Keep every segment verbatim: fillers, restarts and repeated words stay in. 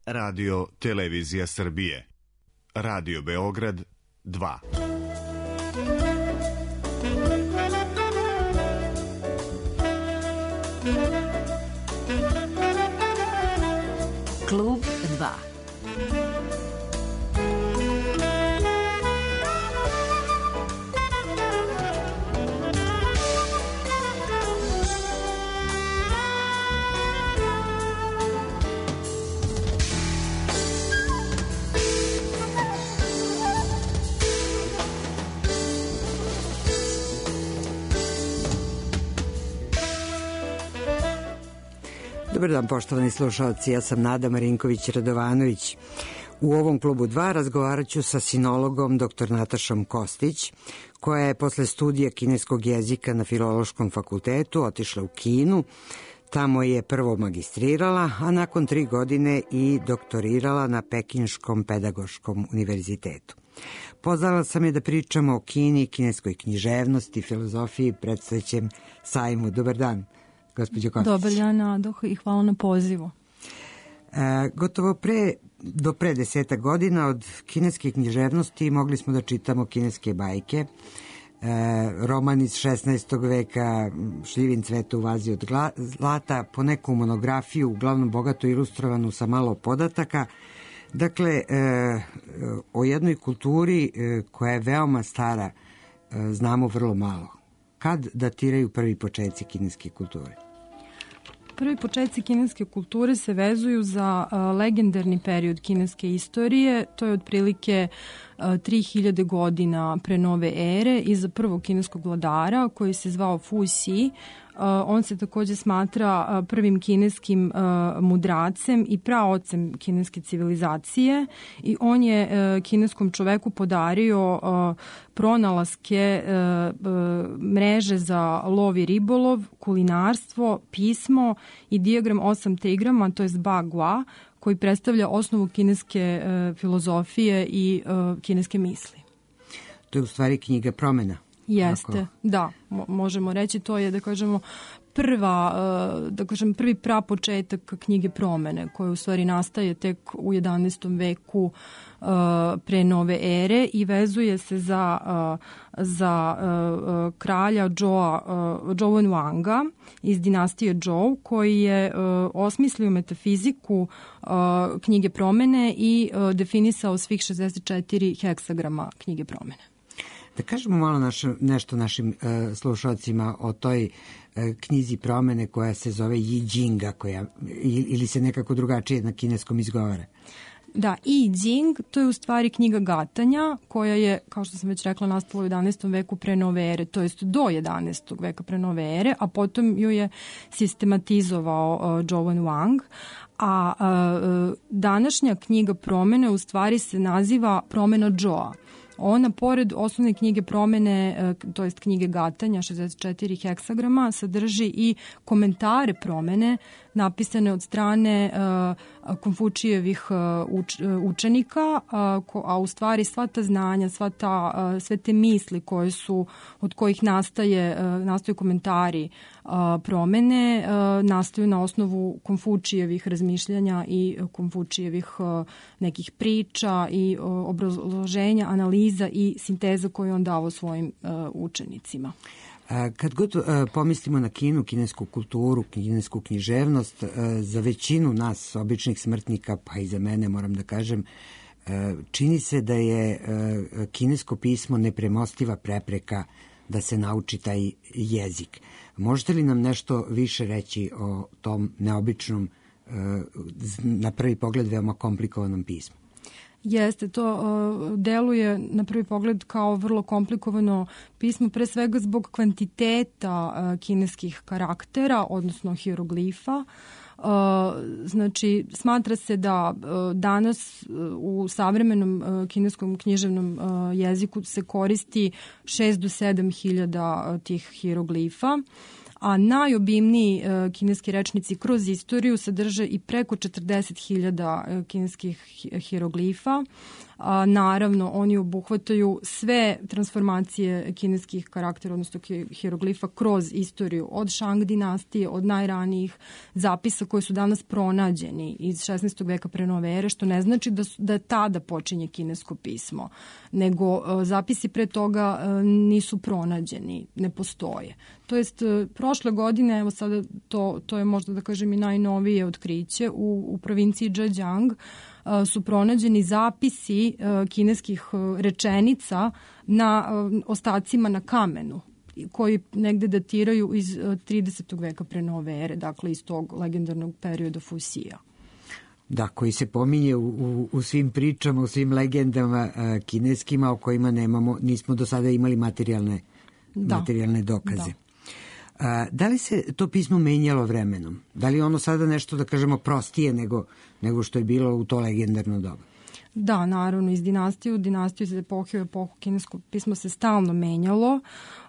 Radio Televizija Srbije. Radio Beograd dva. Klub dva. Dobar dan, poštovani slušalci, ja sam Nada Marinković-Radovanović. U ovom klubu dva razgovarat ću sa sinologom dr Natašom Kostić, koja je posle studija kineskog jezika na Filološkom fakultetu otišla u Kinu. Tamo je prvo magistrirala, a nakon tri godine i doktorirala na Pekinškom pedagoškom univerzitetu. Pozvala sam je da pričamo o Kini, kineskoj književnosti, filozofiji, predstojećem sajmu. Dobar dan, gospođo Kostić. Dobar dan, Nado, i hvala na pozivu. E, gotovo pre, do pre deseta godina od kineske književnosti mogli smo da čitamo kineske bajke, e, roman iz šesnaestog veka, Šljivin cveta u vazi od zlata, po neku monografiju, uglavnom bogato ilustrovanu sa malo podataka. Dakle, e, o jednoj kulturi e, koja je veoma stara e, znamo vrlo malo. Kad datiraju prvi početci kineske kulture? Prvi početci kineske kulture se vezuju za uh, legendarni period kineske istorije, to je otprilike uh, tri hiljade godina pre nove ere i za prvog kineskog vladara koji se zvao Fu Xi. Uh, on se takođe smatra uh, prvim kineskim uh, mudracem i praocem kineske civilizacije i on je uh, kineskom čoveku podario uh, pronalaske uh, uh, mreže za lov i ribolov, kulinarstvo, pismo i dijagram osam trigrama, to je Ba Gua, koji predstavlja osnovu kineske uh, filozofije i uh, kineske misli. To je u stvari knjiga promena. Jeste, Ako... da, mo- možemo reći, to je, da kažemo, prva, da kažem, prvi prapočetak knjige promene, koja u stvari nastaje tek u jedanaestom veku uh, pre nove ere i vezuje se za, uh, za uh, kralja Zhou, uh, Zhou Wenwanga iz dinastije Zhou, koji je uh, osmislio metafiziku uh, knjige promene i uh, definisao svih šezdeset četiri heksagrama knjige promene. Da kažemo malo naš, nešto našim uh, slušalcima o toj uh, knjizi promene koja se zove Yi Jinga, koja, ili se nekako drugačije na kineskom izgovara. Da, I Jing, to je u stvari knjiga gatanja koja je, kao što sam već rekla, nastala u jedanaestom veku pre nove ere, to jest do jedanaestog veka pre nove ere, a potom ju je sistematizovao uh, Zhou Wenwang. A uh, današnja knjiga promene u stvari se naziva Promena Zhoua. Ona, pored osnovne knjige promene, to jest knjige gatanja, šezdeset četiri heksagrama, sadrži i komentare promene napisane od strane uh, Konfučijevih uh, uč, uh, učenika, uh, ko, a u stvari sva ta znanja, sva ta, uh, sve te misli koje su, od kojih nastaje, uh, nastaju komentari uh, promene, uh, nastaju na osnovu Konfučijevih razmišljanja i Konfučijevih uh, nekih priča i uh, obrazloženja, analiza i sinteza koju on dao svojim uh, učenicima. Kad god uh, pomislimo na Kinu, kinesku kulturu, kinesku književnost, uh, za većinu nas, običnih smrtnika, pa i za mene, moram da kažem, uh, čini se da je uh, kinesko pismo nepremostiva prepreka da se nauči taj jezik. Možete li nam nešto više reći o tom neobičnom, uh, na prvi pogled veoma komplikovanom pismu? Jeste, to uh, deluje na prvi pogled kao vrlo komplikovano pismo, pre svega zbog kvantiteta uh, kineskih karaktera, odnosno hieroglifa. Uh, znači, smatra se da uh, danas uh, u savremenom uh, kineskom književnom uh, jeziku se koristi šest do sedam hiljada uh, tih hieroglifa. a najobimniji uh, kineski rečnici kroz istoriju sadrže i preko četrdeset hiljada uh, kineskih hieroglifa. A, naravno, oni obuhvataju sve transformacije kineskih karaktera, odnosno hieroglifa kroz istoriju od Shang dinastije, od najranijih zapisa koji su danas pronađeni iz šesnaestog veka pre nove ere, što ne znači da, su, da tada počinje kinesko pismo, nego a, zapisi pre toga a, nisu pronađeni, ne postoje. To jest, a, prošle godine, evo sada to, to je možda da kažem i najnovije otkriće, u, u provinciji Zhejiang su pronađeni zapisi kineskih rečenica na ostacima na kamenu koji negde datiraju iz tridesetog veka pre nove ere, dakle iz tog legendarnog perioda Fusija. Da, koji se pominje u, u, u svim pričama, u svim legendama a, kineskima o kojima nemamo, nismo do sada imali materijalne, da. materijalne dokaze. Da. A, da li se to pismo menjalo vremenom? Da li ono sada nešto, da kažemo, prostije nego, nego što je bilo u to legendarno doba? Da, naravno, iz dinastije u dinastiju, iz epohe u epohu kinesko pismo se stalno menjalo.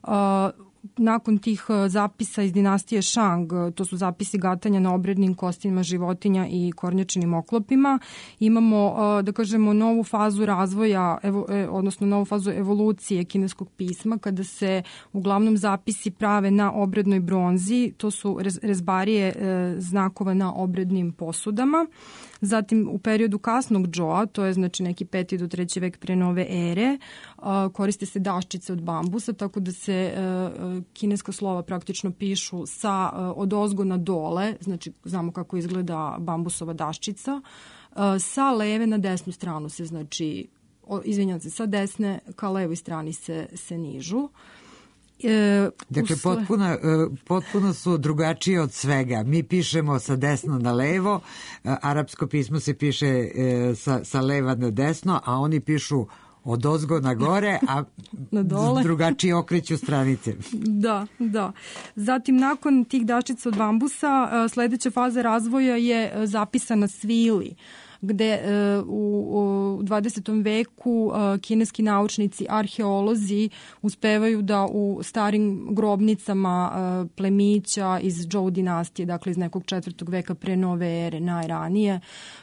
A, nakon tih zapisa iz dinastije Shang, to su zapisi gatanja na obrednim kostima životinja i kornjačinim oklopima, imamo, da kažemo, novu fazu razvoja, evo, odnosno novu fazu evolucije kineskog pisma, kada se uglavnom zapisi prave na obrednoj bronzi, to su rezbarije znakova na obrednim posudama. Zatim u periodu kasnog Džoa, to je znači neki peti do treći vek pre nove ere, koriste se daščice od bambusa, tako da se kineska slova praktično pišu sa odozgo na dole, znači znamo kako izgleda bambusova daščica, sa leve na desnu stranu se, znači, izvinjam se, sa desne ka levoj strani se, se nižu. E, dakle, usle... potpuno, potpuno su drugačije od svega. Mi pišemo sa desno na levo, arapsko pismo se piše sa, sa leva na desno, a oni pišu od ozgo na gore, a na dole. Drugačije okreću stranice. Da, da. Zatim, nakon tih daščica od bambusa, sledeća faza razvoja je zapisana svili, gde uh, u, u dvadesetom veku uh, kineski naučnici, arheolozi uspevaju da u starim grobnicama uh, plemića iz Zhou dinastije, dakle iz nekog četvrtog veka pre nove ere, najranije,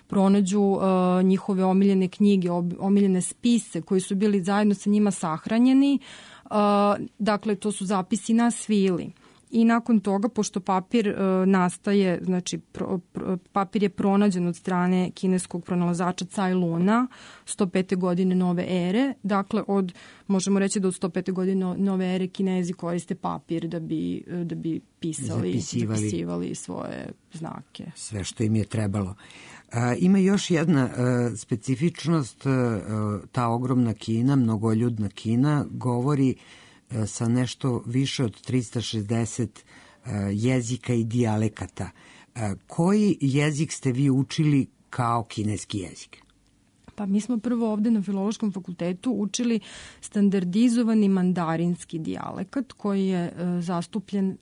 pronađu uh, njihove omiljene knjige, omiljene spise koji su bili zajedno sa njima sahranjeni. Uh, dakle, to su zapisi na svili. I nakon toga, pošto papir e, nastaje, znači pro, pro, papir je pronađen od strane kineskog pronalazača Cai Luna sto pete godine nove ere, dakle od, možemo reći da od sto pete godine nove ere Kinezi koriste papir da bi, da bi pisali, zapisivali, zapisivali svoje znake. Sve što im je trebalo. A, ima još jedna a, specifičnost, a, ta ogromna Kina, mnogoljudna Kina, govori sa nešto više od trista šezdeset jezika i dijalekata. Koji jezik ste vi učili kao kineski jezik? Pa mi smo prvo ovde na Filološkom fakultetu učili standardizovani mandarinski dijalekat koji je e, zastupljen e,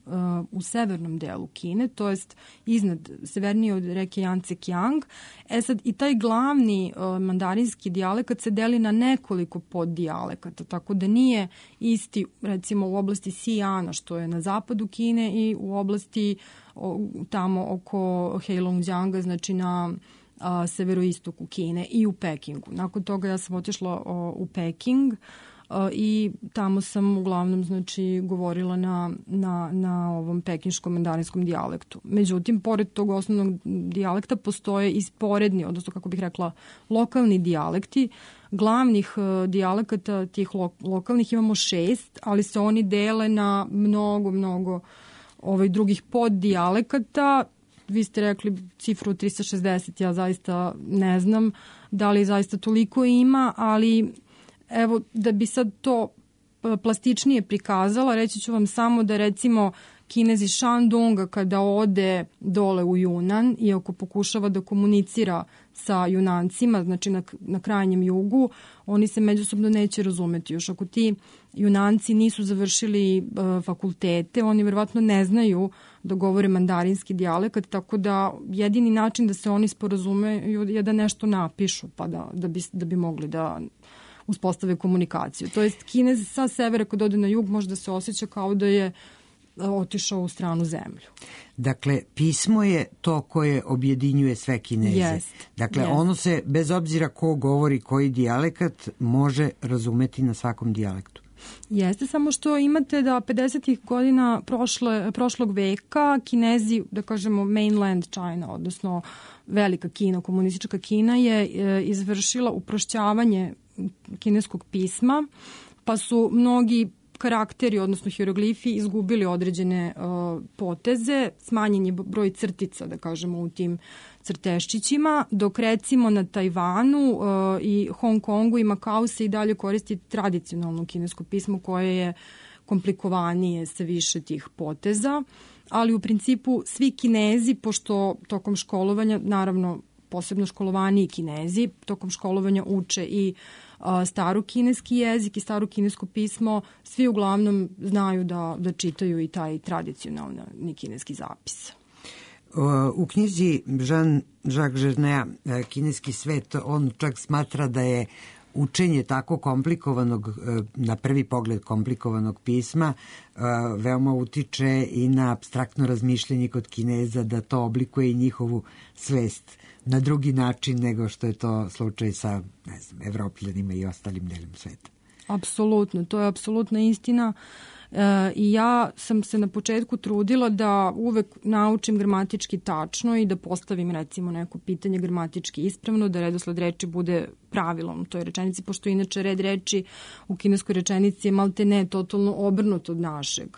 u severnom delu Kine, to jest iznad, severnije od reke Yangtze-Kiang. E sad, i taj glavni e, mandarinski dijalekat se deli na nekoliko poddijalekata, tako da nije isti, recimo, u oblasti Xinjianga, što je na zapadu Kine, i u oblasti o, tamo oko Heilongjianga, znači na a, severoistoku Kine, i u Pekingu. Nakon toga ja sam otišla o, u Peking a, i tamo sam uglavnom, znači, govorila na, na, na ovom pekinškom mandarinskom dijalektu. Međutim, pored tog osnovnog dijalekta postoje i sporedni, odnosno, kako bih rekla, lokalni dijalekti. Glavnih uh, dijalekata tih lo, lokalnih imamo šest, ali se oni dele na mnogo, mnogo ovaj, drugih poddijalekata. Vi ste rekli cifru trista šezdeset, ja zaista ne znam da li zaista toliko ima, ali evo, da bi sad to plastičnije prikazala, reći ću vam samo da, recimo, Kinez iz Shandonga kada ode dole u Junan i ako pokušava da komunicira sa Junancima, znači na, na krajnjem jugu, oni se međusobno neće razumeti. Još ako ti Junanci nisu završili uh, fakultete, oni verovatno ne znaju da govore mandarinski dijalekat, tako da jedini način da se oni sporazumeju je da nešto napišu, pa da, da, bi, da bi mogli da uspostave komunikaciju. To jest, Kinez sa severa kad ode na jug može da se osjeća kao da je otišao u stranu zemlju. Dakle, pismo je to koje objedinjuje sve Kineze. Jest, dakle, jest. ono se, bez obzira ko govori koji dijalekat, može razumeti na svakom dijalektu. Jeste, samo što imate da pedesetih godina prošle, prošlog veka Kinezi, da kažemo mainland China, odnosno velika Kina, komunistička Kina je e, izvršila uprošćavanje kineskog pisma, pa su mnogi karakteri, odnosno hieroglifi, izgubili određene uh, poteze, smanjen je broj crtica, da kažemo, u tim crteščićima, dok recimo na Tajvanu uh, i Hong Kongu i Makau se i dalje koristi tradicionalno kinesko pismo koje je komplikovanije sa više tih poteza, ali u principu svi Kinezi, pošto tokom školovanja, naravno posebno školovaniji Kinezi, tokom školovanja uče i staru kineski jezik i staru kinesko pismo, svi uglavnom znaju da, da čitaju i taj tradicionalni kineski zapis. U knjizi Jean-Jacques Gernea Kineski svet, on čak smatra da je učenje tako komplikovanog, na prvi pogled komplikovanog pisma, veoma utiče i na apstraktno razmišljanje kod Kineza, da to oblikuje i njihovu svest na drugi način nego što je to slučaj sa, ne znam, Evropljanima i ostalim delom sveta. Apsolutno, to je apsolutna istina. E, i ja sam se na početku trudila da uvek naučim gramatički tačno i da postavim recimo neko pitanje gramatički ispravno, da redosled reči bude pravilom u toj rečenici, pošto inače red reči u kineskoj rečenici je malte ne totalno obrnut od našeg,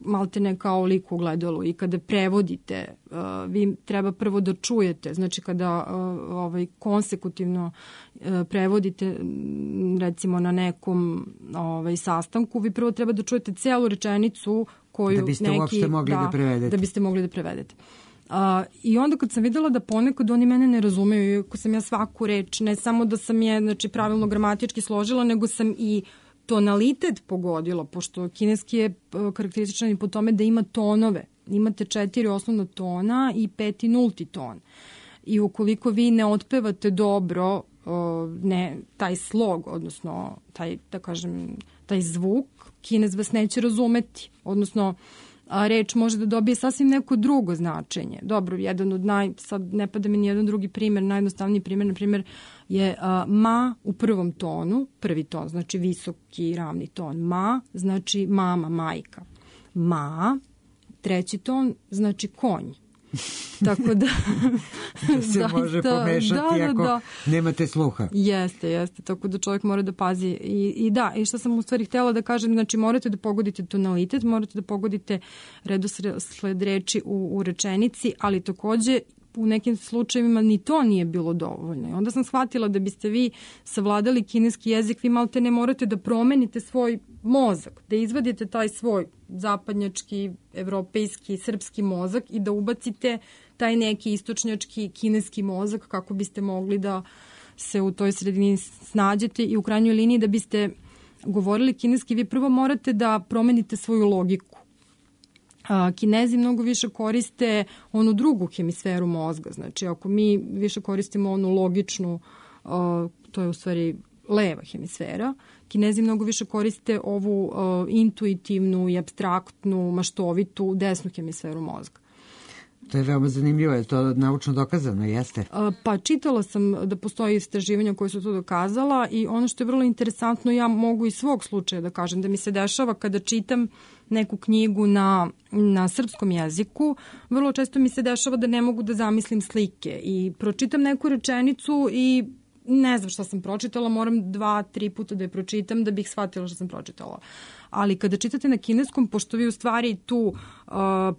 malte ne kao lik u gledalu, i kada prevodite uh, vi treba prvo da čujete, znači kada uh, ovaj konsekutivno uh, prevodite recimo na nekom ovaj sastanku, vi prvo treba da čujete celu rečenicu koju da biste neki, uopšte mogli da, da prevedete. Da biste mogli da prevedete. Uh, I onda kad sam videla da ponekad oni mene ne razumeju, iako sam ja svaku reč, ne samo da sam je znači, pravilno gramatički složila, nego sam i tonalitet pogodilo, pošto kineski je karakterističan i po tome da ima tonove. Imate četiri osnovna tona i peti nulti ton. I ukoliko vi ne otpevate dobro ne, taj slog, odnosno taj, da kažem, taj zvuk, Kinez vas neće razumeti. Odnosno, a reč može da dobije sasvim neko drugo značenje. Dobro, jedan od naj, sad ne pada mi ni jedan drugi primjer, najjednostavniji primjer, na primjer, je a, ma u prvom tonu, prvi ton, znači visoki ravni ton. Ma znači mama, majka. Ma, treći ton, znači konj. Tako da se zaista, može pomešati da, ako da, da. nemate sluha. Jeste, jeste, tako da čovjek mora da pazi. I, i da, i što sam u stvari htjela da kažem, znači morate da pogodite tonalitet, morate da pogodite redosled reči u, u rečenici, ali takođe u nekim slučajevima ni to nije bilo dovoljno. I onda sam shvatila da biste vi savladali kineski jezik, vi malte ne morate da promenite svoj mozak, da izvadite taj svoj zapadnjački, evropejski, srpski mozak i da ubacite taj neki istočnjački kineski mozak kako biste mogli da se u toj sredini snađete i u krajnjoj liniji da biste govorili kineski, vi prvo morate da promenite svoju logiku. Kinezi mnogo više koriste onu drugu hemisferu mozga. Znači, ako mi više koristimo onu logičnu, to je u stvari leva hemisfera, Kinezi mnogo više koriste ovu intuitivnu i apstraktnu, maštovitu desnu hemisferu mozga. To je veoma zanimljivo, je to naučno dokazano, jeste? Pa čitala sam da postoji istraživanja koje su to dokazala i ono što je vrlo interesantno, ja mogu iz svog slučaja da kažem, da mi se dešava kada čitam neku knjigu na, na srpskom jeziku, vrlo često mi se dešava da ne mogu da zamislim slike i pročitam neku rečenicu i ne znam šta sam pročitala, moram dva, tri puta da je pročitam da bih shvatila šta sam pročitala. Ali kada čitate na kineskom, pošto vi u stvari tu uh,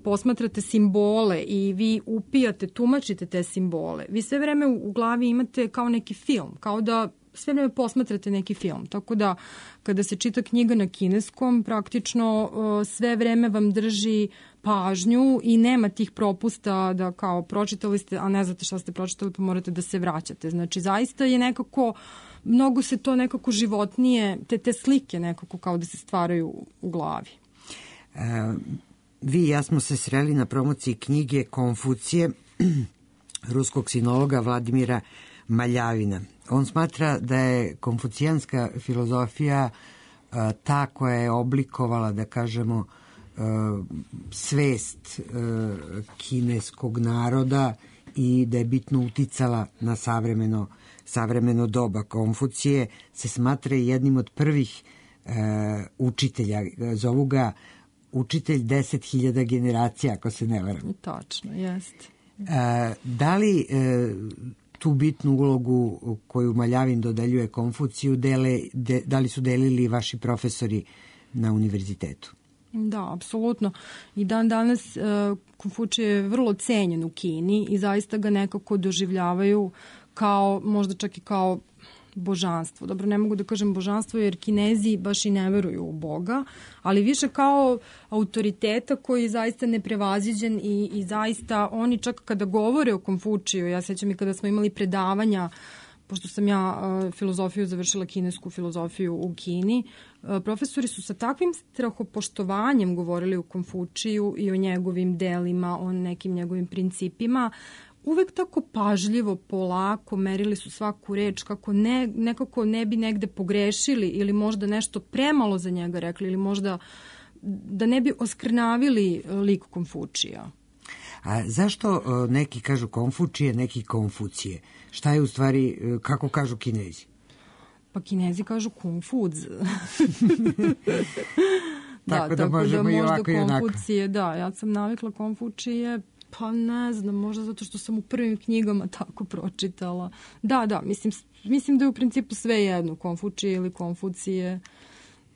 posmatrate simbole i vi upijate, tumačite te simbole, vi sve vreme u, u glavi imate kao neki film, kao da sve vreme posmatrate neki film. Tako da kada se čita knjiga na kineskom, praktično uh, sve vreme vam drži pažnju i nema tih propusta da kao pročitali ste, a ne znate šta ste pročitali pa morate da se vraćate. Znači zaista je nekako, mnogo se to nekako životnije, te, te slike nekako kao da se stvaraju u glavi. E, vi i ja smo se sreli na promociji knjige Konfucije ruskog sinologa Vladimira Maljavina. On smatra da je konfucijanska filozofija a, ta koja je oblikovala, da kažemo, svest kineskog naroda i da je bitno uticala na savremeno, savremeno doba. Konfucije se smatra jednim od prvih učitelja, zovu ga učitelj deset hiljada generacija, ako se ne varam. Tačno, jeste. Da li tu bitnu ulogu koju Maljavin dodeljuje Konfuciju, dele, de, da li su delili vaši profesori na univerzitetu? Da, apsolutno. I dan danas uh, Konfučije je vrlo cenjen u Kini i zaista ga nekako doživljavaju kao, možda čak i kao božanstvo. Dobro, ne mogu da kažem božanstvo jer Kinezi baš i ne veruju u Boga, ali više kao autoriteta koji je zaista neprevaziđen i, i zaista oni čak kada govore o Konfučiju, ja sećam i kada smo imali predavanja, pošto sam ja uh, filozofiju završila, kinesku filozofiju u Kini, uh, profesori su sa takvim strahopoštovanjem govorili o Konfučiju i o njegovim delima, o nekim njegovim principima, uvek tako pažljivo, polako, merili su svaku reč kako ne, nekako ne bi negde pogrešili ili možda nešto premalo za njega rekli ili možda da ne bi oskrnavili lik Konfučija. A zašto neki kažu Konfučije, neki Konfucije? Šta je u stvari, kako kažu Kinezi? Pa Kinezi kažu Konfuz. da, tako da, tako možemo da i možda ovako i onako. Konfucije, da, ja sam navikla Konfučije, pa ne znam, možda zato što sam u prvim knjigama tako pročitala. Da, da, mislim, mislim da je u principu sve jedno, Konfučije ili Konfucije.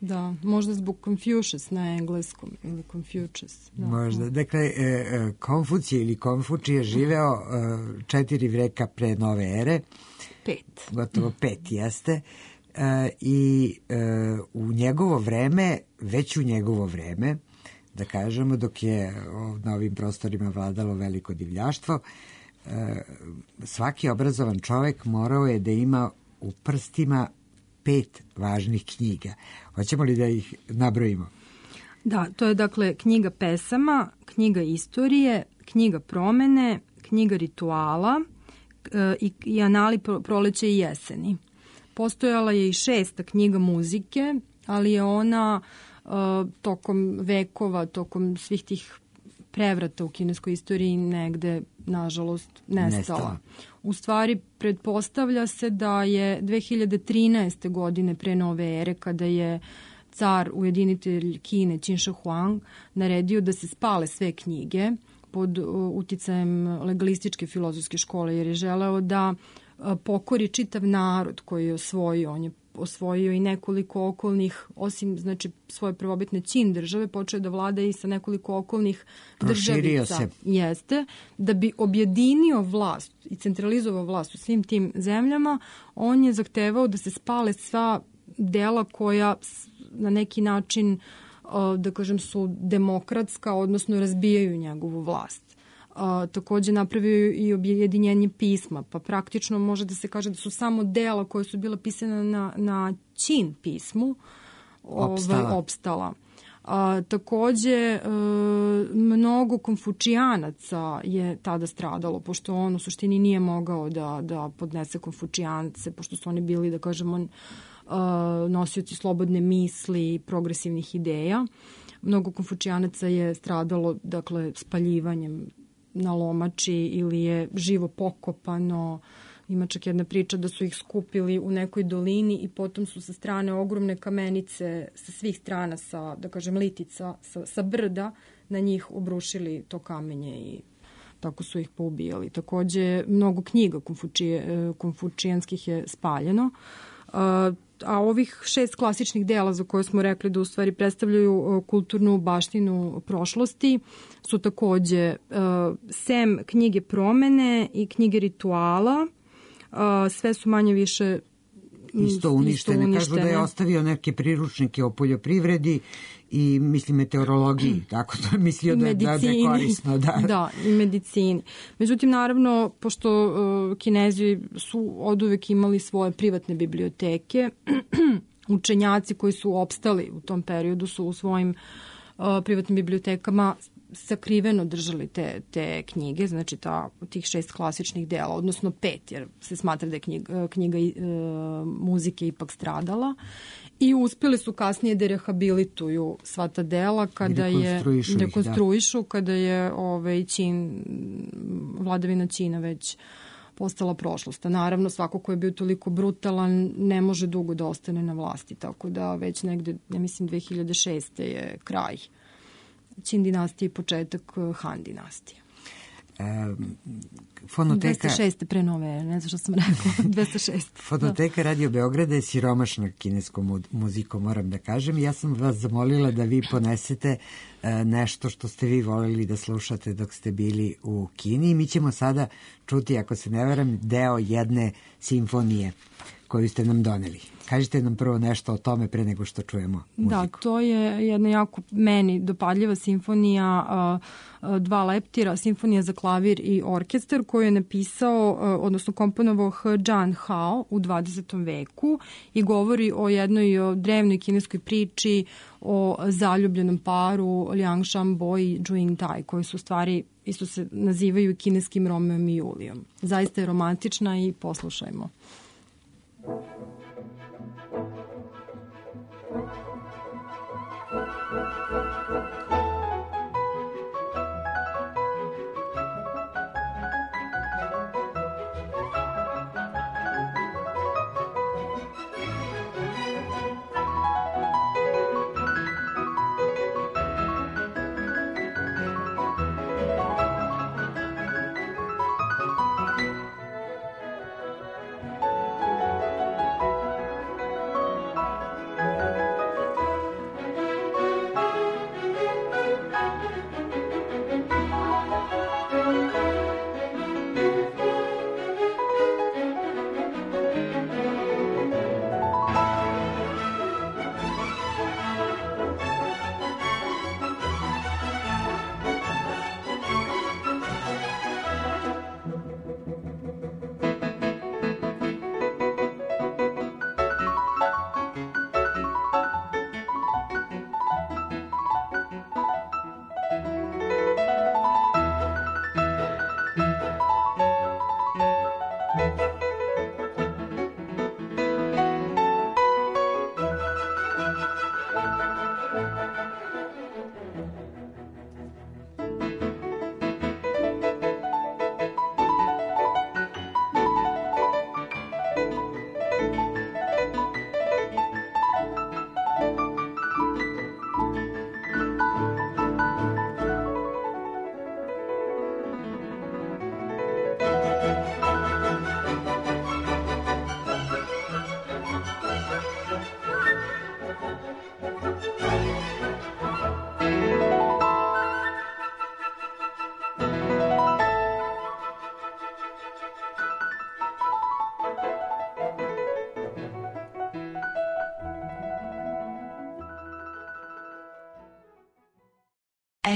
Da, možda zbog Confucius na engleskom ili Confucius. Da. Možda. Dakle, Konfucije ili Konfučije živeo četiri veka pre nove ere. Pet. Gotovo pet jeste. I u njegovo vreme, već u njegovo vreme, da kažemo, dok je na ovim prostorima vladalo veliko divljaštvo, svaki obrazovan čovek morao je da ima u prstima pet važnih knjiga. Hoćemo li da ih nabrojimo? Da, to je dakle knjiga pesama, knjiga istorije, knjiga promene, knjiga rituala i, i anali proleće i jeseni. Postojala je i šesta knjiga muzike, ali je ona uh, tokom vekova, tokom svih tih prevrata u kineskoj istoriji negde, nažalost, nestala. nestala. U stvari, pretpostavlja se da je dve hiljade trinaeste. godine pre nove ere, kada je car, ujedinitelj Kine, Qin Shi Huang, naredio da se spale sve knjige pod uticajem legalističke filozofske škole, jer je želeo da pokori čitav narod koji je osvojio. On je osvojio i nekoliko okolnih, osim znači svoje prvobitne Qin države, počeo da vlada i sa nekoliko okolnih državica. Se. Jeste, da bi objedinio vlast i centralizovao vlast u svim tim zemljama, on je zahtevao da se spale sva dela koja na neki način, da kažem, su demokratska, odnosno razbijaju njegovu vlast. A, takođe napravio i objedinjenje pisma, pa praktično može da se kaže da su samo dela koje su bila pisana na, na Qin pismu opstala. Ovaj, opstala. A, takođe, a, mnogo konfučijanaca je tada stradalo, pošto on u suštini nije mogao da, da podnese konfučijance, pošto su oni bili, da kažemo, a, nosioci slobodne misli, progresivnih ideja. Mnogo konfučijanaca je stradalo, dakle, spaljivanjem na lomači ili je živo pokopano. Ima čak jedna priča da su ih skupili u nekoj dolini i potom su sa strane ogromne kamenice sa svih strana, sa, da kažem, litica, sa, sa brda, na njih obrušili to kamenje i tako su ih poubijali. Takođe, mnogo knjiga konfučije, konfučijanskih je spaljeno. A ovih šest klasičnih dela za koje smo rekli da u stvari predstavljaju kulturnu baštinu prošlosti su takođe uh, sem knjige promene i knjige rituala, uh, sve su manje više isto uništene. Isto uništene. Kažu da je ostavio neke priručnike o poljoprivredi i mislim meteorologiji, tako to je mislio da, da, da je korisno. Da. da, i medicini. Međutim, naravno, pošto uh, Kinezi su oduvek imali svoje privatne biblioteke, učenjaci koji su opstali u tom periodu su u svojim uh, privatnim bibliotekama sakriveno držali te, te knjige, znači ta, tih šest klasičnih dela, odnosno pet, jer se smatra da je knjiga, knjiga e, muzike ipak stradala. I uspeli su kasnije da rehabilituju sva ta dela kada je rekonstruišu, da. kada je ovaj, Ćin, vladavina Ćina već postala prošlost. A naravno, svako ko je bio toliko brutalan ne može dugo da ostane na vlasti, tako da već negde, ja mislim, dve hiljade šeste je kraj Ćin dinastije i početak Han dinastije. E, fonoteka... dvesta šest pre nove, ne znam što sam rekla, dvesta šest. Fonoteka da. Radio Beograda je siromašna kineskom muzikom, moram da kažem. Ja sam vas zamolila da vi ponesete e, nešto što ste vi volili da slušate dok ste bili u Kini. Mi ćemo sada čuti, ako se ne varam, deo jedne simfonije koju ste nam doneli. Kažite nam prvo nešto o tome pre nego što čujemo muziku. Da, to je jedna jako meni dopadljiva simfonija dva leptira, simfonija za klavir i orkestar koju je napisao, odnosno komponovao He Jian Hao u dvadesetom veku i govori o jednoj o drevnoj kineskoj priči o zaljubljenom paru Liang Shanbo i Zhu Yingtai, koji su stvari isto se nazivaju kineskim Romeom i Julijom. Zaista je romantična i poslušajmo.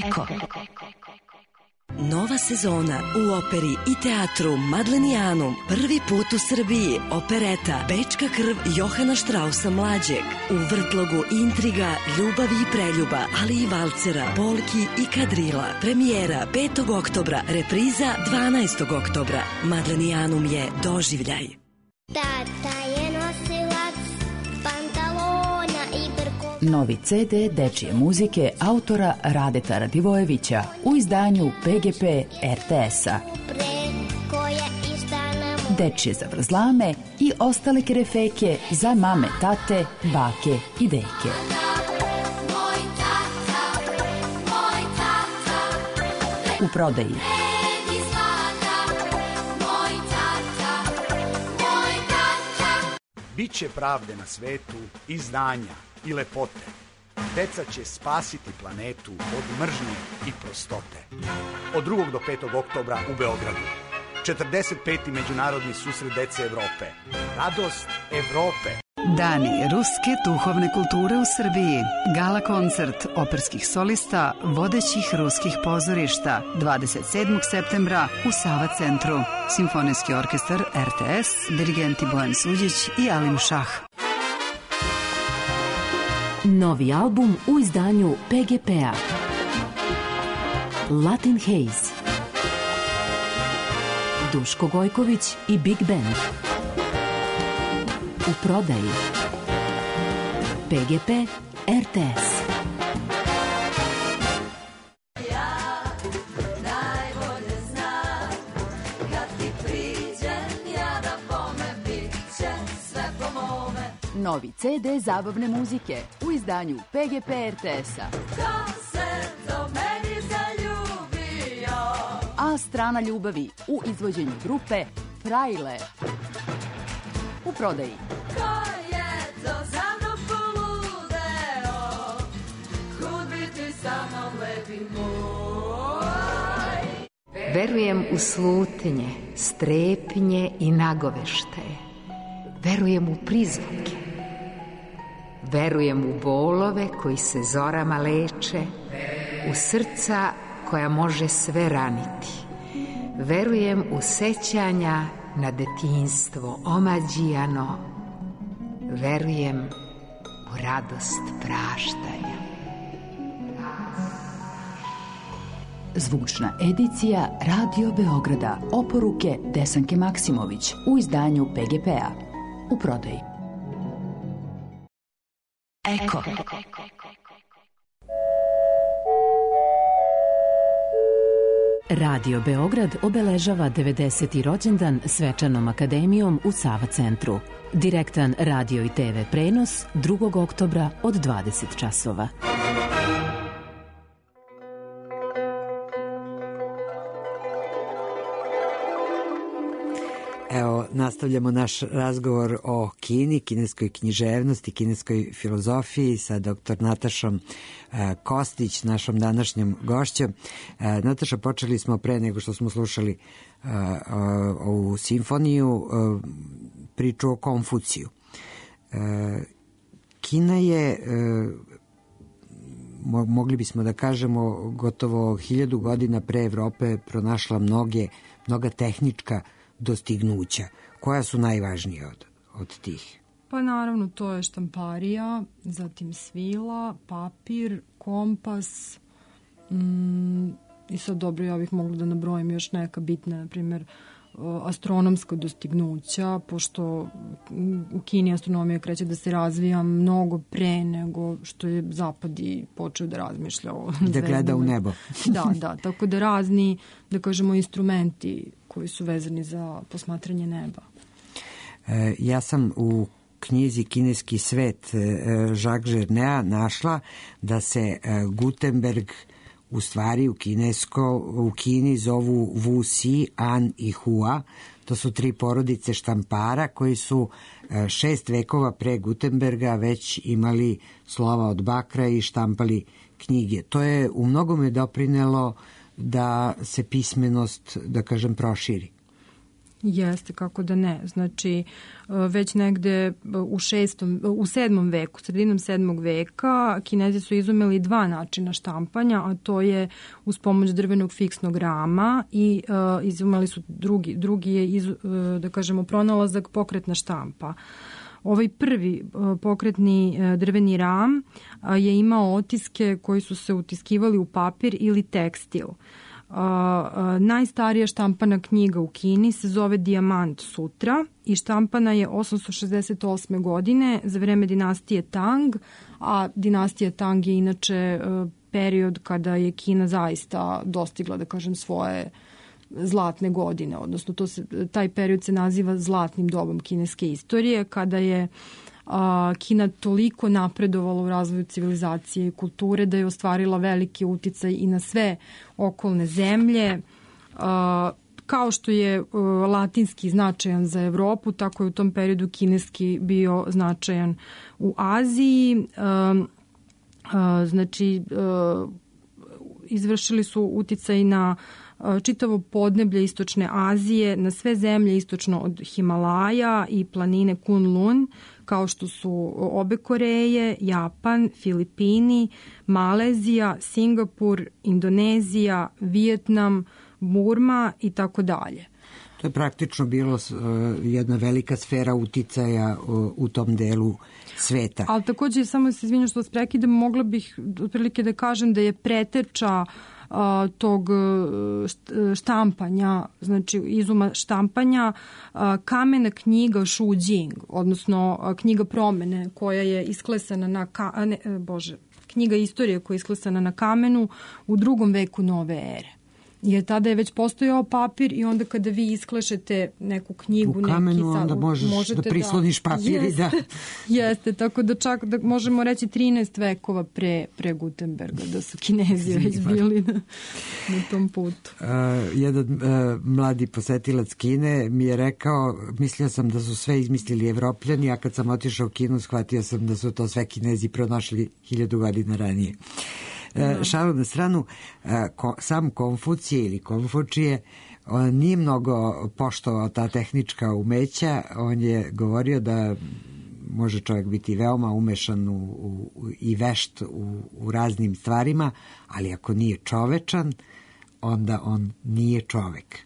Eko. Nova sezona u operi i teatru Madlenijanum. Prvi put u Srbiji. Opereta Bečka krv Johana Štrausa mlađeg. U vrtlogu intriga, ljubavi i preljuba, ali i valcera, polki i kadrila. Premijera petog oktobra, repriza dvanaestog oktobra. Madlenijanum je doživljaj. Tata je nosilac pantalona i brko... Novi ce de dečije muzike autora Radeta Radivojevića u izdanju pe ge pe er te es-a. Dečije zavrzlame i ostale kerefeke za mame, tate, bake i deke. U prodaji Biće pravde na svetu i znanja i lepote. Deca će spasiti planetu od mržnje i prostote. Od drugog do petog oktobra u Beogradu. četrdeset peti Međunarodni susret dece Evrope. Radost Evrope. Dani ruske duhovne kulture u Srbiji. Gala koncert operskih solista vodećih ruskih pozorišta dvadeset sedmog septembra u Sava centru. Simfonijski orkestar er te es, dirigenti Bojan Suđić i Alim Šah. Novi album u izdanju pe ge pe-a. Latin Haze, Duško Gojković i Big Band. U prodaji P G P R T S. Novi ce de zabavne muzike u izdanju P G P R T S-a. A strana ljubavi u izvođenju grupe Frajle. U prodaji. Verujem u slutnje, strepnje i nagoveštaje. Verujem u prizvuke. Verujem u bolove koji se zorama leče, u srca koja može sve raniti. Verujem u sećanja na detinjstvo omađijano. Verujem u radost praštanja. Zvučna edicija Radio Beograda. Oporuke Desanke Maksimović u izdanju P G P-a. U prodaji. Eko. Radio Beograd obeležava devedeseti rođendan svečanom akademijom u Sava centru. Direktan radio i te ve prenos drugog oktobra od dvadeset časova. Evo, nastavljamo naš razgovor o Kini, kineskoj književnosti, kineskoj filozofiji sa doktor Natašom e, Kostić, našom današnjom gošćom. E, Nataša, počeli smo pre nego što smo slušali e, ovu simfoniju, e, priču o Konfuciju. E, Kina je, e, mo, mogli bismo da kažemo, gotovo hiljadu godina pre Evrope pronašla mnoge, mnoga tehnička dostignuća. Koja su najvažnije od, od tih? Pa naravno, to je štamparija, zatim svila, papir, kompas, mm, i sad dobro, ja bih mogla da nabrojim još neka bitna, na primjer, astronomska dostignuća, pošto u Kini astronomija kreće da se razvija mnogo pre nego što je Zapad i počeo da razmišlja o da gleda u nebo. Da, da, tako da razni, da kažemo, instrumenti koji su vezani za posmatranje neba. E, ja sam u knjizi Kineski svet e, Jacques Jernea našla da se e, Gutenberg u stvari u kinesko, u Kini zovu Wu Si, An i Hua. To su tri porodice štampara koji su e, šest vekova pre Gutenberga već imali slova od bakra i štampali knjige. To je u mnogome doprinelo da se pismenost, da kažem, proširi. Jeste, kako da ne. Znači, već negde u šestom, u sedmom veku, sredinom sedmog veka, Kinezi su izumeli dva načina štampanja, a to je uz pomoć drvenog fiksnog rama i uh, izumeli su drugi, drugi je, iz, uh, da kažemo, pronalazak pokretna štampa. Ovaj prvi uh, pokretni uh, drveni ram uh, je imao otiske koji su se utiskivali u papir ili tekstil. Uh, uh, najstarija štampana knjiga u Kini se zove Dijamant Sutra i štampana je osamsto šezdeset osme godine za vreme dinastije Tang, a dinastija Tang je inače uh, period kada je Kina zaista dostigla, da kažem, svoje zlatne godine, odnosno to se, taj period se naziva zlatnim dobom kineske istorije, kada je a, Kina toliko napredovala u razvoju civilizacije i kulture da je ostvarila veliki uticaj i na sve okolne zemlje. A, kao što je a, latinski značajan za Evropu, tako je u tom periodu kineski bio značajan u Aziji. A, a, znači, a, izvršili su uticaj na čitavo podneblje istočne Azije, na sve zemlje istočno od Himalaja i planine Kunlun, kao što su obe Koreje, Japan, Filipini, Malezija, Singapur, Indonezija, Vijetnam, Burma i tako dalje. To je praktično bilo jedna velika sfera uticaja u tom delu sveta. Ali takođe, samo se izvinjam što vas prekidam, mogla bih otprilike da kažem da je preteča a, tog štampanja, znači izuma štampanja, a, kamena knjiga Shu Jing, odnosno a, knjiga promene koja je isklesana na ka, a ne, bože, knjiga istorije koja je isklesana na kamenu u drugom veku nove ere. Jer tada je već postojao papir i onda kada vi isklešete neku knjigu, u kamenu, neki sad, onda možeš da prisloniš da, papir i da... Jeste, tako da čak da možemo reći trinaest vekova pre, pre Gutenberga, da su Kinezi već bili na, na tom putu. Uh, jedan uh, mladi posetilac Kine mi je rekao, mislio sam da su sve izmislili Evropljani, a kad sam otišao u Kinu, shvatio sam da su to sve Kinezi pronašli hiljadu godina ranije. E, šalu na stranu, e, ko, sam Konfucije ili Konfučije on nije mnogo poštovao ta tehnička umeća, on je govorio da može čovjek biti veoma umešan u, u, i vešt u, u raznim stvarima, ali ako nije čovečan, onda on nije čovek.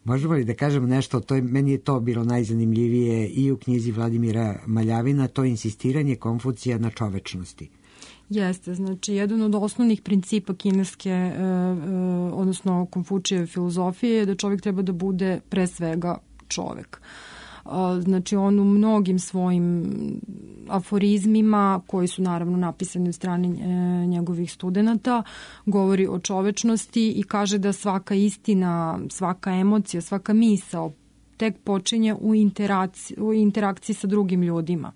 Možemo li da kažemo nešto, to je, meni je to bilo najzanimljivije i u knjizi Vladimira Maljavina, to insistiranje Konfucija na čovečnosti. Jeste, znači jedan od osnovnih principa kineske, e, e, odnosno Konfučijeve filozofije je da čovjek treba da bude pre svega čovjek. E, znači on u mnogim svojim aforizmima, koji su naravno napisani od strane e, njegovih studenata, govori o čovečnosti i kaže da svaka istina, svaka emocija, svaka misao tek počinje u interakciji, u interakciji sa drugim ljudima.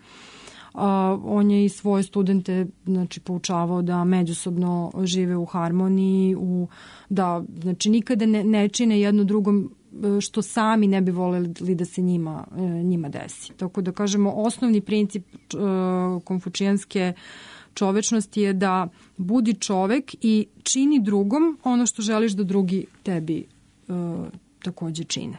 Uh, on je i svoje studente znači poučavao da međusobno žive u harmoniji, u, da znači nikada ne, ne čine jedno drugom što sami ne bi voljeli da se njima, njima desi. Tako da kažemo, osnovni princip uh, konfučijanske čovečnosti je da budi čovek i čini drugom ono što želiš da drugi tebi uh, takođe čine.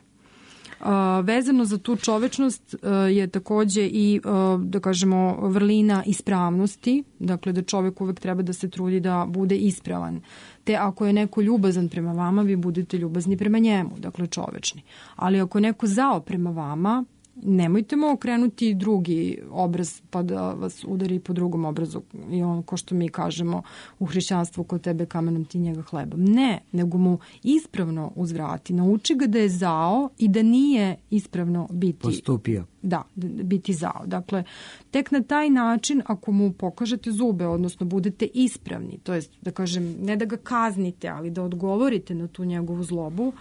Uh, vezano za tu čovečnost uh, je takođe i, uh, da kažemo, vrlina ispravnosti, dakle da čovek uvek treba da se trudi da bude ispravan. Te ako je neko ljubazan prema vama, vi budete ljubazni prema njemu, dakle čovečni. Ali ako je neko zao prema vama, nemojte mu okrenuti drugi obraz pa da vas udari po drugom obrazu i on, ko što mi kažemo u hrišćanstvu, kod tebe kamenom ti njega hlebom. Ne, nego mu ispravno uzvrati. Nauči ga da je zao i da nije ispravno biti... Postupio. Da, biti zao. Dakle, tek na taj način, ako mu pokažete zube, odnosno budete ispravni, to jest, da kažem, ne da ga kaznite, ali da odgovorite na tu njegovu zlobu,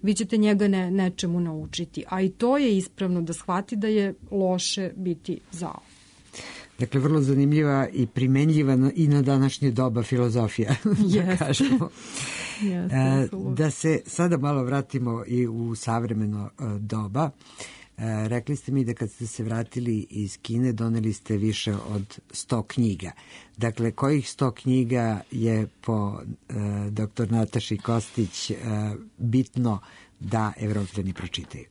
vi ćete njega ne, nečemu naučiti. A i to je ispravno da shvati da je loše biti zao. Dakle, vrlo zanimljiva i primenljiva i na današnje doba filozofija, da kažemo. Yes, e, da se sada malo vratimo i u savremeno e, doba. E, rekli ste mi da kad ste se vratili iz Kine doneli ste više od sto knjiga. Dakle, kojih sto knjiga je po e, doktor Nataši Kostić e, bitno da Evropljani pročitaju?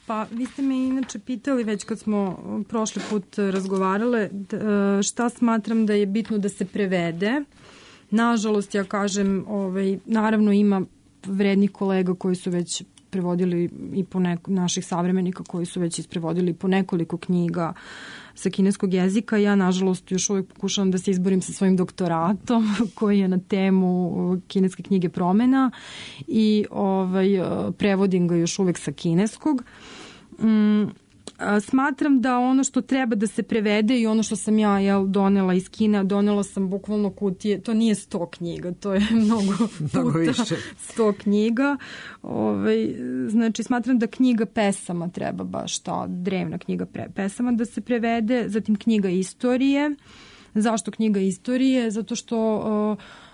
Pa, vi ste me inače pitali već kad smo prošli put razgovarale šta smatram da je bitno da se prevede. Nažalost, ja kažem, ovaj, naravno ima vrednih kolega koji su već prevodili i po neko, naših savremenika koji su već isprevodili po nekoliko knjiga sa kineskog jezika. Ja, nažalost, još uvijek pokušavam da se izborim sa svojim doktoratom koji je na temu kineske knjige promena i ovaj, prevodim ga još uvijek sa kineskog. Mm, smatram da ono što treba da se prevede i ono što sam ja jel, donela iz Kine, donela sam bukvalno kutije, to nije sto knjiga, to je mnogo puta sto knjiga. Ove, znači, smatram da knjiga pesama treba baš ta drevna knjiga pre, pesama da se prevede, zatim knjiga istorije. Zašto knjiga istorije? Zato što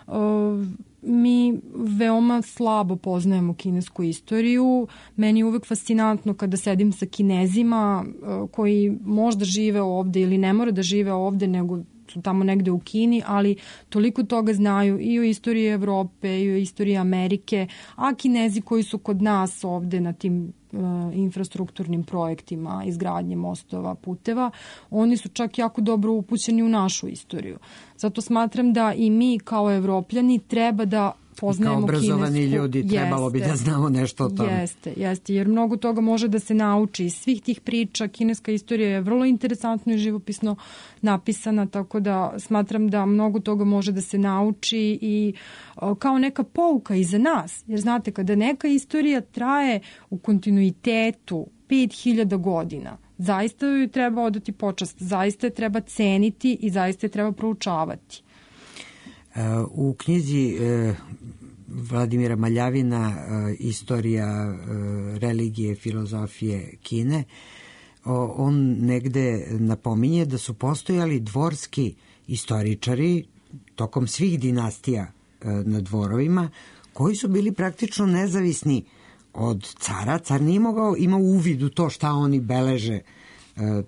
uh, uh, mi veoma slabo poznajemo kinesku istoriju. Meni je uvek fascinantno kada sedim sa Kinezima koji možda žive ovde ili ne mora da žive ovde, nego su tamo negde u Kini, ali toliko toga znaju i o istoriji Evrope i o istoriji Amerike, a Kinezi koji su kod nas ovde na tim uh, infrastrukturnim projektima, izgradnje mostova, puteva, oni su čak jako dobro upućeni u našu istoriju. Zato smatram da i mi kao Evropljani treba da poznajemo kinesku. Kao obrazovani kinesku. ljudi trebalo Jeste, bi da znamo nešto o tome. Jeste, jeste, jer mnogo toga može da se nauči iz svih tih priča. Kineska istorija je vrlo interesantno i živopisno napisana, tako da smatram da mnogo toga može da se nauči i o, kao neka pouka i za nas. Jer znate, kada neka istorija traje u kontinuitetu pet hiljada godina, zaista joj treba odati počast, zaista je treba ceniti i zaista je treba proučavati. U knjizi Vladimira Maljavina Istorija religije, filozofije Kine, on negde napominje da su postojali dvorski istoričari tokom svih dinastija na dvorovima koji su bili praktično nezavisni od cara. Car nije mogao, imao uvid u to šta oni beleže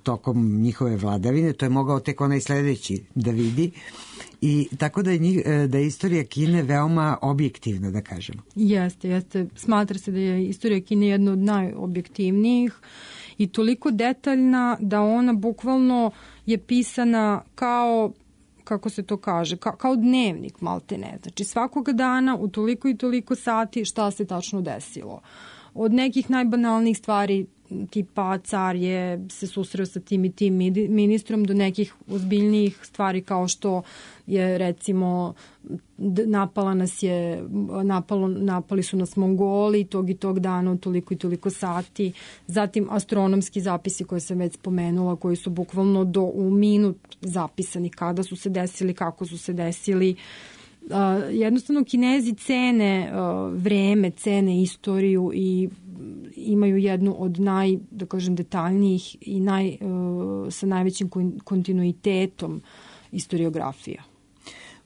tokom njihove vladavine, to je mogao tek onaj sledeći da vidi. I tako da je, njih, da je istorija Kine veoma objektivna, da kažemo. Jeste, jeste. Smatra se da je istorija Kine jedna od najobjektivnijih i toliko detaljna da ona bukvalno je pisana kao, kako se to kaže, kao, kao dnevnik maltene. Znači svakoga dana u toliko i toliko sati šta se tačno desilo. Od nekih najbanalnijih stvari tipa car je se susreo sa tim i tim ministrom do nekih ozbiljnijih stvari kao što je recimo napala nas je, napalo, napali su nas Mongoli tog i tog dana u toliko i toliko sati. Zatim astronomski zapisi koje sam već spomenula koji su bukvalno do u minut zapisani kada su se desili, kako su se desili. Uh, jednostavno Kinezi cene uh, vreme, cene istoriju i imaju jednu od naj, da kažem, detaljnijih i naj, uh, sa najvećim kontinuitetom istoriografija.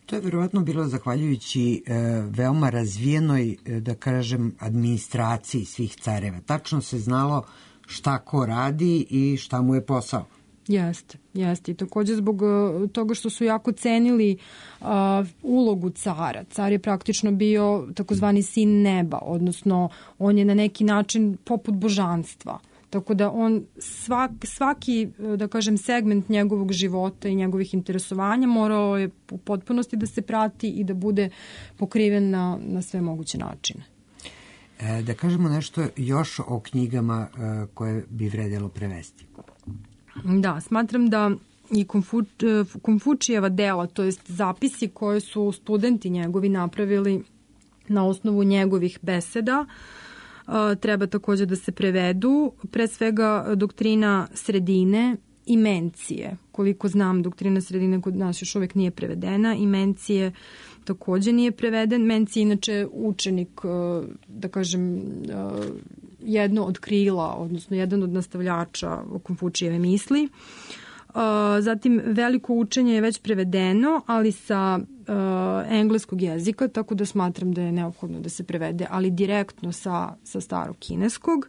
To je verovatno bilo zahvaljujući uh, veoma razvijenoj, uh, da kažem, administraciji svih careva. Tačno se znalo šta ko radi i šta mu je posao. Jeste, jeste. I također zbog toga što su jako cenili uh, ulogu cara. Car je praktično bio takozvani sin neba, odnosno on je na neki način poput božanstva. Tako da on svak, svaki, da kažem, segment njegovog života i njegovih interesovanja morao je u potpunosti da se prati i da bude pokriven na, na sve moguće načine. E, da kažemo nešto još o knjigama e, koje bi vredelo prevesti. Da, smatram da i Konfu, Konfučijeva dela, to jest zapisi koje su studenti njegovi napravili na osnovu njegovih beseda, treba također da se prevedu. Pre svega doktrina sredine i mencije. Koliko znam, doktrina sredine kod nas još uvijek nije prevedena i mencije također nije preveden. Mencije inače učenik, da kažem, jedno od krila, odnosno jedan od nastavljača Konfučijeve misli. Zatim veliko učenje je već prevedeno, ali sa uh, engleskog jezika, tako da smatram da je neophodno da se prevede, ali direktno sa, sa starog kineskog.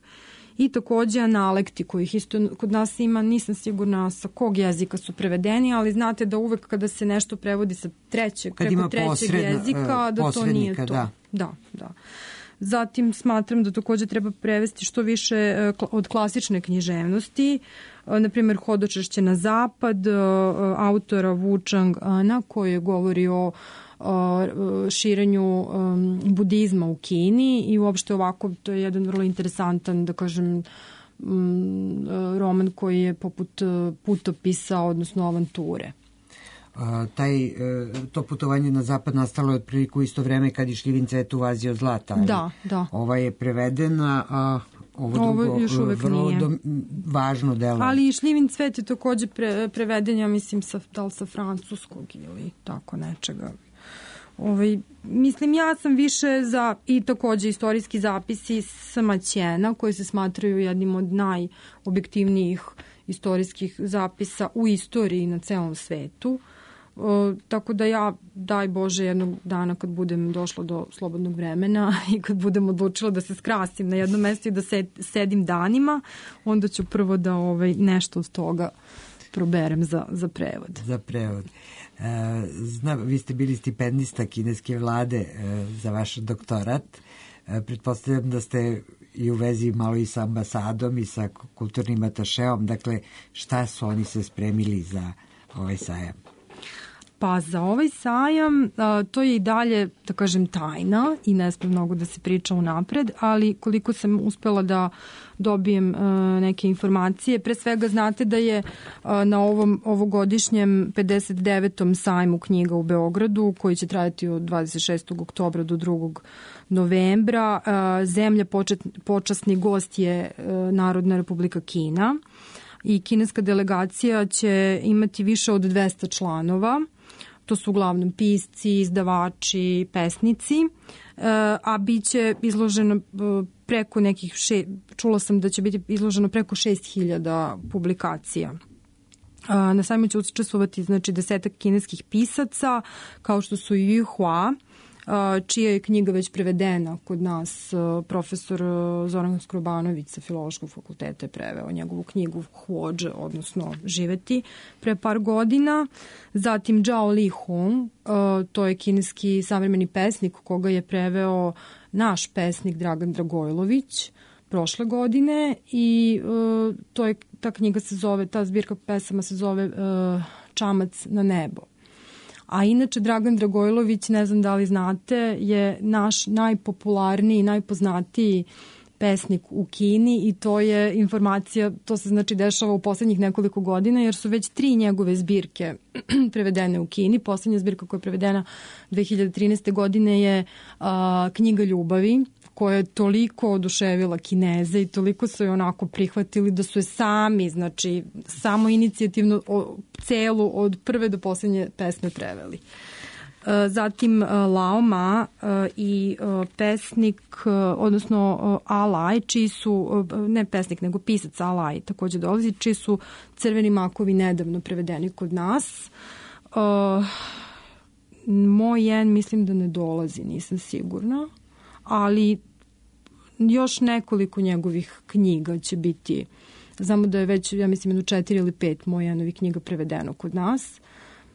I također analekti kojih isto kod nas ima, nisam sigurna sa kog jezika su prevedeni, ali znate da uvek kada se nešto prevodi sa trećeg, kad preko trećeg posredna, jezika, da to nije to. Da, da. da. Zatim smatram da također treba prevesti što više od klasične književnosti, na primjer Hodočašće na zapad, autora Wu Chang-ana koji govori o širenju budizma u Kini i uopšte ovako to je jedan vrlo interesantan, da kažem, roman koji je poput putopisa, odnosno avanture. A, taj, to putovanje na zapad nastalo je otprilike u isto vreme kad je Šljivin cvet u Aziji od zlata. Da, da. Ova je prevedena, a ovo, ovo drugo još uvek vrlo nije. Do, važno delo. Ali i Šljivin cvet je također pre, preveden, ja mislim, sa, da li sa francuskog ili tako nečega. Ovaj, mislim, ja sam više za i također istorijski zapisi Samaćena koji se smatraju jednim od najobjektivnijih istorijskih zapisa u istoriji na celom svetu. O, tako da ja, daj Bože, jednog dana kad budem došla do slobodnog vremena i kad budem odlučila da se skrasim na jedno mesto i da sed, sedim danima, onda ću prvo da ovaj, nešto od toga proberem za, za prevod. Za prevod. E, znam, vi ste bili stipendista kineske vlade e, za vaš doktorat. E, pretpostavljam da ste i u vezi malo i sa ambasadom i sa kulturnim atašeom. Dakle, šta su oni se spremili za ovaj sajam? Pa za ovaj sajam a, to je i dalje, da kažem, tajna i ne sme mnogo da se priča unapred, ali koliko sam uspela da dobijem a, neke informacije, pre svega znate da je a, na ovom ovogodišnjem pedeset devetom sajmu knjiga u Beogradu, koji će trajati od dvadeset šestog oktobra do drugog novembra, a, zemlja počet, počasni gost je a, Narodna Republika Kina i kineska delegacija će imati više od dvesta članova. To su uglavnom pisci, izdavači, pesnici, a bit će izloženo preko nekih, še, čula sam da će biti izloženo preko šest hiljada publikacija. Na sajmu će učestvovati znači, desetak kineskih pisaca, kao što su Yu Hua, čija je knjiga već prevedena kod nas. Profesor Zoran Skrobanović sa Filološkog fakulteta je preveo njegovu knjigu Huođe, odnosno Živeti, pre par godina. Zatim Zhao Li Hong, to je kineski savremeni pesnik koga je preveo naš pesnik Dragan Dragojlović prošle godine i to je, ta knjiga se zove, ta zbirka pesama se zove Čamac na nebo. A inače, Dragan Dragojlović, ne znam da li znate, je naš najpopularniji, najpoznatiji pesnik u Kini i to je informacija, to se znači dešava u poslednjih nekoliko godina, jer su već tri njegove zbirke prevedene u Kini. Poslednja zbirka koja je prevedena dve hiljade trinaeste. godine je a, Knjiga ljubavi, koja je toliko oduševila Kineze i toliko su je onako prihvatili da su je sami, znači samo inicijativno o, celu od prve do poslednje pesme preveli. Zatim Lao Ma i pesnik, odnosno Alaj, čiji su, ne pesnik, nego pisac Alaj takođe dolazi, čiji su Crveni makovi nedavno prevedeni kod nas. Moj jen mislim da ne dolazi, nisam sigurna, ali još nekoliko njegovih knjiga će biti. Znamo da je već, ja mislim, jedno četiri ili pet moj jenovih knjiga prevedeno kod nas.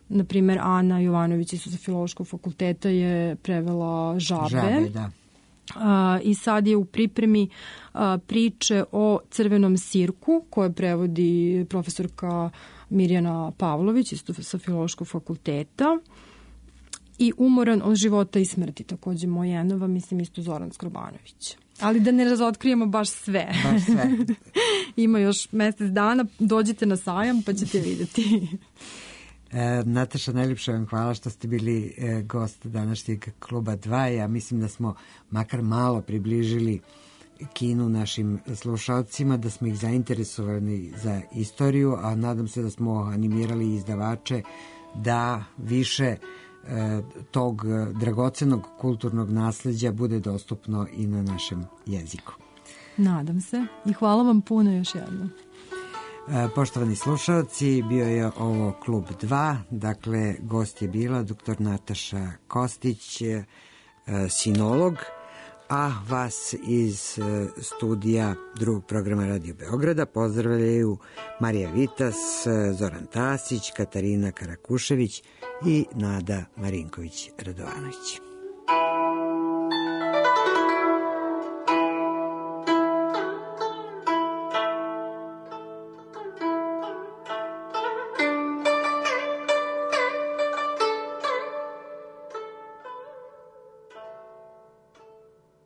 Naprimer, Ana Jovanović iz Filološkog fakulteta je prevela Žabe. Žabe, da. A, I sad je u pripremi a, priče o Crvenom sirku, koje prevodi profesorka Mirjana Pavlović isto sa Filološkog fakulteta. I Umoran od života i smrti, takođe Mojenova, mislim isto Zoran Skrobanović. Ali da ne razotkrijemo baš sve. Baš sve. Ima još mesec dana, dođite na sajam pa ćete videti. E, Nataša, najljepša vam hvala što ste bili e, gost današnjeg kluba dva. Ja mislim da smo makar malo približili Kinu našim slušalcima, da smo ih zainteresovani za istoriju, a nadam se da smo animirali izdavače da više e, tog dragocenog kulturnog nasleđa bude dostupno i na našem jeziku. Nadam se i hvala vam puno još jednom. Poštovani slušalci, bio je ovo Klub dva, dakle gost je bila doktor Nataša Kostić, sinolog, a vas iz studija drugog programa Radio Beograda pozdravljaju Marija Vitas, Zoran Tasić, Katarina Karakušević i Nada Marinković-Radovanović.